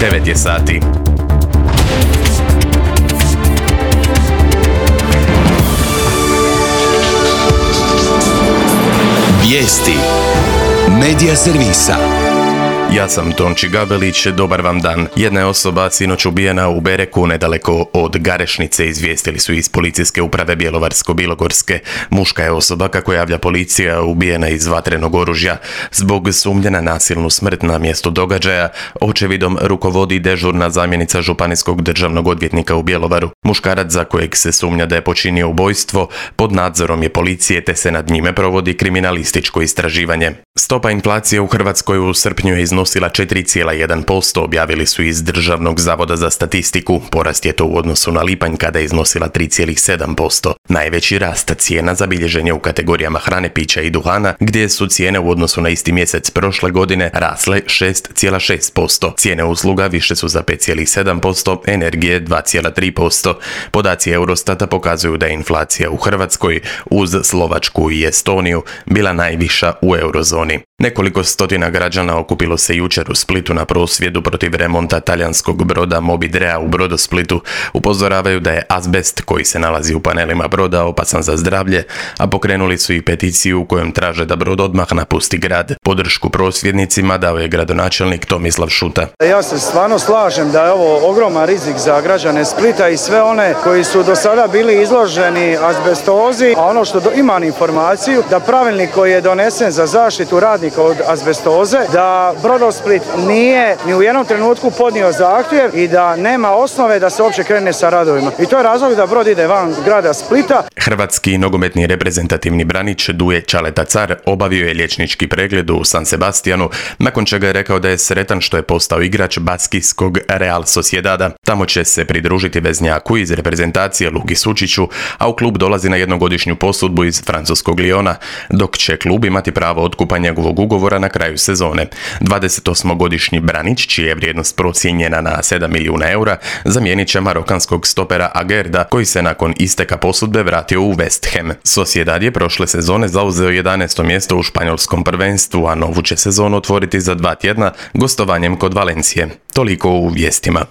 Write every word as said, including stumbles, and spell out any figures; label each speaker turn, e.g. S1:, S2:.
S1: devet je sati.
S2: Vijesti Medija servisa.
S1: Ja sam Tonči Gabelić, dobar vam dan. Jedna je osoba sinoć ubijena u Bereku, nedaleko od Garešnice, izvijestili su iz policijske uprave Bjelovarsko-bilogorske. Muška je osoba, kako javlja policija, ubijena iz vatrenog oružja. Zbog sumnje na nasilnu smrt na mjestu događaja, očevidom rukovodi dežurna zamjenica županijskog državnog odvjetnika u Bjelovaru. Muškarac, za kojeg se sumnja da je počinio ubojstvo, pod nadzorom je policije, te se nad njime provodi kriminalističko istraživanje. Stopa inflacije u Hrvatskoj u srpnju je iznosila četiri zarez jedan posto, objavili su iz Državnog zavoda za statistiku. Porast je to u odnosu na lipanj, kada je iznosila tri zarez sedam posto. Najveći rast cijena zabilježen je u kategorijama hrane, pića i duhana, gdje su cijene u odnosu na isti mjesec prošle godine rasle šest zarez šest posto. Cijene usluga više su za pet zarez sedam posto, energije dva zarez tri posto. Podaci Eurostata pokazuju da je inflacija u Hrvatskoj uz Slovačku i Estoniju bila najviša u eurozoni. Nekoliko stotina građana okupilo se jučer u Splitu na prosvjedu protiv remonta talijanskog broda Moby Drea u Brodosplitu. Upozoravaju da je azbest koji se nalazi u panelima broda opasan za zdravlje, a pokrenuli su i peticiju u kojom traže da brod odmah napusti grad. Podršku prosvjednicima dao je gradonačelnik Tomislav Šuta.
S3: Ja se stvarno slažem da je ovo ogroman rizik za građane Splita i sve one koji su do sada bili izloženi azbestozi, a ono što do, imam informaciju da pravilnik koji je donesen za zaštitu radnika od azbestoze, da Brodosplit nije ni u jednom trenutku podnio zahtjev i da nema osnove da se uopće krene sa radovima. I to je razlog da brod ide van grada Splita.
S1: Hrvatski nogometni reprezentativni branič Duje Čaleta Car obavio je liječnički pregled u San Sebastianu, nakon čega je rekao da je sretan što je postao igrač baskijskog Real Sociedada. Tamo će se pridružiti veznjaku iz reprezentacije Luki Sučiću, a u klub dolazi na jednogodišnju posudbu iz francuskog Liona, dok će klub imati pravo otkupa njegovog ugovora na kraju sezone. dvadesetosmogodišnji branić, čija je vrijednost procijenjena na sedam milijuna eura, zamijenit će marokanskog stopera Agerda, koji se nakon isteka posudbe vratio u West Ham. Sociedad je prošle sezone zauzeo jedanaesto mjesto u španjolskom prvenstvu, a novu će sezonu otvoriti za dva tjedna gostovanjem kod Valencije. Toliko u vijestima.